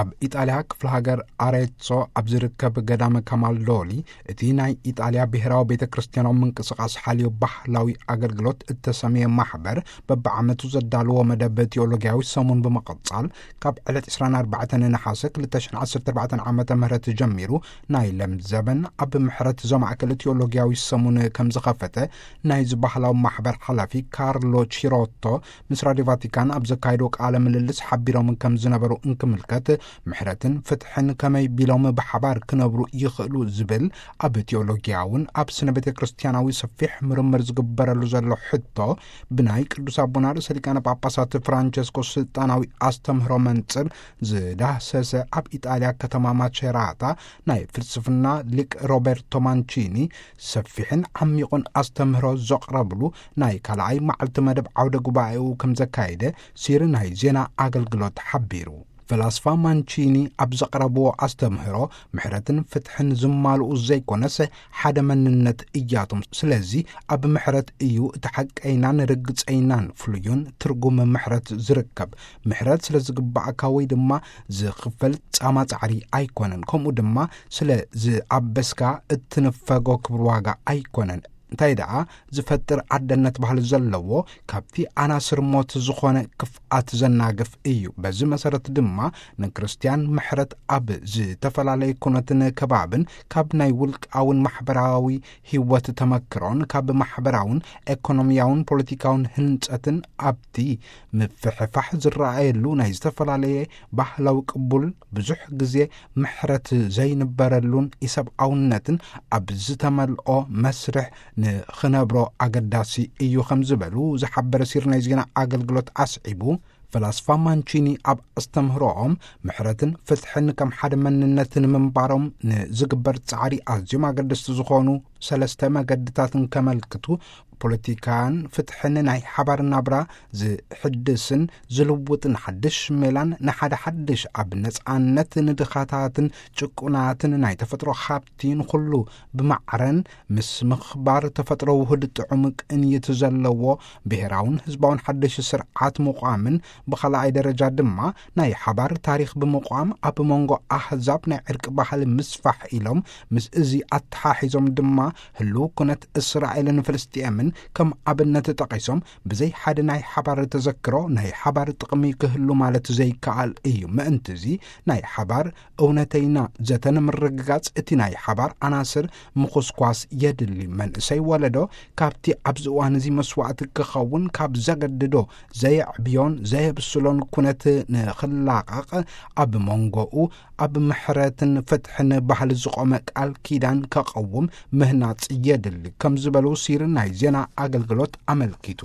ኣብ ኢጣልያ ክፍለ ሃገር ኣሬትሶ ኣብ ዝርከብ ገዳመ ካማልዶሊ፣ እቲ ናይ ኢጣልያ ብሔራዊ ቤተ ክርስቲያናዊ ምንቅስቓስ ሓልዮ ባህላዊ ኣገልግሎት እተሰምየ ማሕበር፣ በብዓመቱ ዘዳልዎ መደብ ቲዮሎጊያዊ ሰሙን ብምቕጻል፣ ካብ ዕለት ዕስራን ኣርባዕተን ነሓሰ ክልተ ሽሕን ዓሰርተ ኣርባዕተን ዓመተ ምህረት ጀሚሩ፣ ናይ ለምዘበን ኣብ ምሕረት ዘማእከለ ቲዮሎጊያዊ ሰሙን ከም ዝኸፈተ፣ ናይዚ ባህላዊ ማሕበር ሓላፊ ካርሎ ቺሮቶ ምስ ራድዮ ቫቲካን ኣብ ዘካየዶ ቃለ ምልልስ ሓቢሮም ከም ዝነበሩ እንክምልከት፣ ምሕረትን ፍትሕን ከመይ ቢሎም ብሓባር ክነብሩ ይኽእሉ ዝብል ኣብ ቲዮሎጊያውን ኣብ ስነ ቤተ ክርስቲያናዊ ሰፊሕ ምርምር ዝግበረሉ ዘሎ ሕቶ፣ ብናይ ቅዱስ ኣቦና ርእሰ ሊቃነ ጳጳሳት ፍራንቸስኮ ስልጣናዊ ኣስተምህሮ መንጽር ዝዳህሰሰ ኣብ ኢጣልያ ከተማ ማቸራታ ናይ ፍልስፍና ሊቅ ሮበርቶ ማንቺኒ ሰፊሕን ዓሚቑን ኣስተምህሮ ዘቕረብሉ ናይ ካልኣይ መዓልቲ መደብ ዓውደ ጉባኤኡ ከም ዘካየደ ሲሪ ናይ ዜና ኣገልግሎት ሓቢሩ። ፈላስፋ ማንቺኒ ኣብ ዘቕረብዎ ኣስተምህሮ፣ ምሕረትን ፍትሕን ዝማልኡ ዘይኮነስ ሓደ መንነት እያቶም። ስለዚ ኣብ ምሕረት እዩ እቲ ሓቀይናን ርግጸይናን ፍሉዩን ትርጉም ምሕረት ዝርከብ። ምሕረት ስለ ዝግባእካ ወይ ድማ ዝኽፈል ጻማ ጻዕሪ ኣይኮነን። ከምኡ ድማ ስለ ዝኣበስካ እትንፈጎ ክብር ዋጋ ኣይኮነን። እንታይ ደኣ ዝፈጥር ኣደነት ባህሊ ዘለዎ፣ ካብቲ ኣናስር ሞት ዝኾነ ክፍኣት ዘናግፍ እዩ። በዚ መሰረት ድማ ንክርስቲያን ምሕረት ኣብ ዝተፈላለየ ኩነትን ከባብን፣ ካብ ናይ ውልቃውን ማሕበራዊ ህይወት ተመክሮን፣ ካብ ማሕበራውን ኤኮኖሚያውን ፖለቲካውን ህንጸትን ኣብቲ ምፍሕፋሕ ዝረኣየሉ ናይ ዝተፈላለየ ባህላዊ ቅቡል ብዙሕ ግዜ ምሕረት ዘይንበረሉን ኢሰብኣውነትን ኣብ ዝተመልኦ መስርሕ ንኽነብሮ ኣገዳሲ እዩ ከም ዝበሉ ዝሓበረ ሲር ናይ ዜና ኣገልግሎት ኣስዒቡ፣ ፈላስፋ ማንቺኒ ኣብ ኣስተምህሮኦም ምሕረትን ፍትሕን ከም ሓደ መንነት ንምንባሮም ንዝግበር ጻዕሪ ኣዝዮም ኣገደስቲ ዝኾኑ ሰለስተ መገድታትን ከመልክቱ፣ ፖለቲካን ፍትሕን ናይ ሓባር ናብራ ዝሕድስን ዝልውጥን ሓድሽ ሜላን ንሓደ ሓድሽ ኣብ ነጻነት ንድኻታትን ጭቁናትን ናይ ተፈጥሮ ሃብቲ ንኹሉ ብማዕረን ምስ ምኽባር ተፈጥሮ ውሁድ ጥዑም ቅንይት ዘለዎ ብሔራውን ህዝባውን ሓድሽ ስርዓት ምቋምን ብኻልኣይ ደረጃ ድማ ናይ ሓባር ታሪኽ ብምቋም ኣብ መንጎ ኣህዛብ ናይ ዕርቂ ባህሊ ምስፋሕ ኢሎም ምስ እዚ ኣተሓሒዞም ድማ ህልው ኩነት እስራኤልን ፍልስጥኤምን ከም ኣብነት ጠቒሶም ብዘይ ሓደ ናይ ሓባር ተዘክሮ ናይ ሓባር ጥቕሚ ክህሉ ማለት ዘይከኣል እዩ። ምእንቲ እዚ ናይ ሓባር እውነተይና ዘተ ንምርግጋጽ እቲ ናይ ሓባር ኣናስር ምኹስኳስ የድሊ። መንእሰይ ወለዶ ካብቲ ኣብዚ እዋን እዚ መስዋእቲ ክኸውን ካብ ዘገድዶ ዘየዕብዮን ዘየብስሎን ኩነት ንኽላቐቕ ኣብ መንጎኡ ኣብ ምሕረትን ፍትሕን ባህሊ ዝቖመ ቃል ኪዳን ከቐውም ምህናጽ የድሊ ከም ዝበሉ ሲር ናይ ዜና ኣገልግሎት ኣመልኪቱ።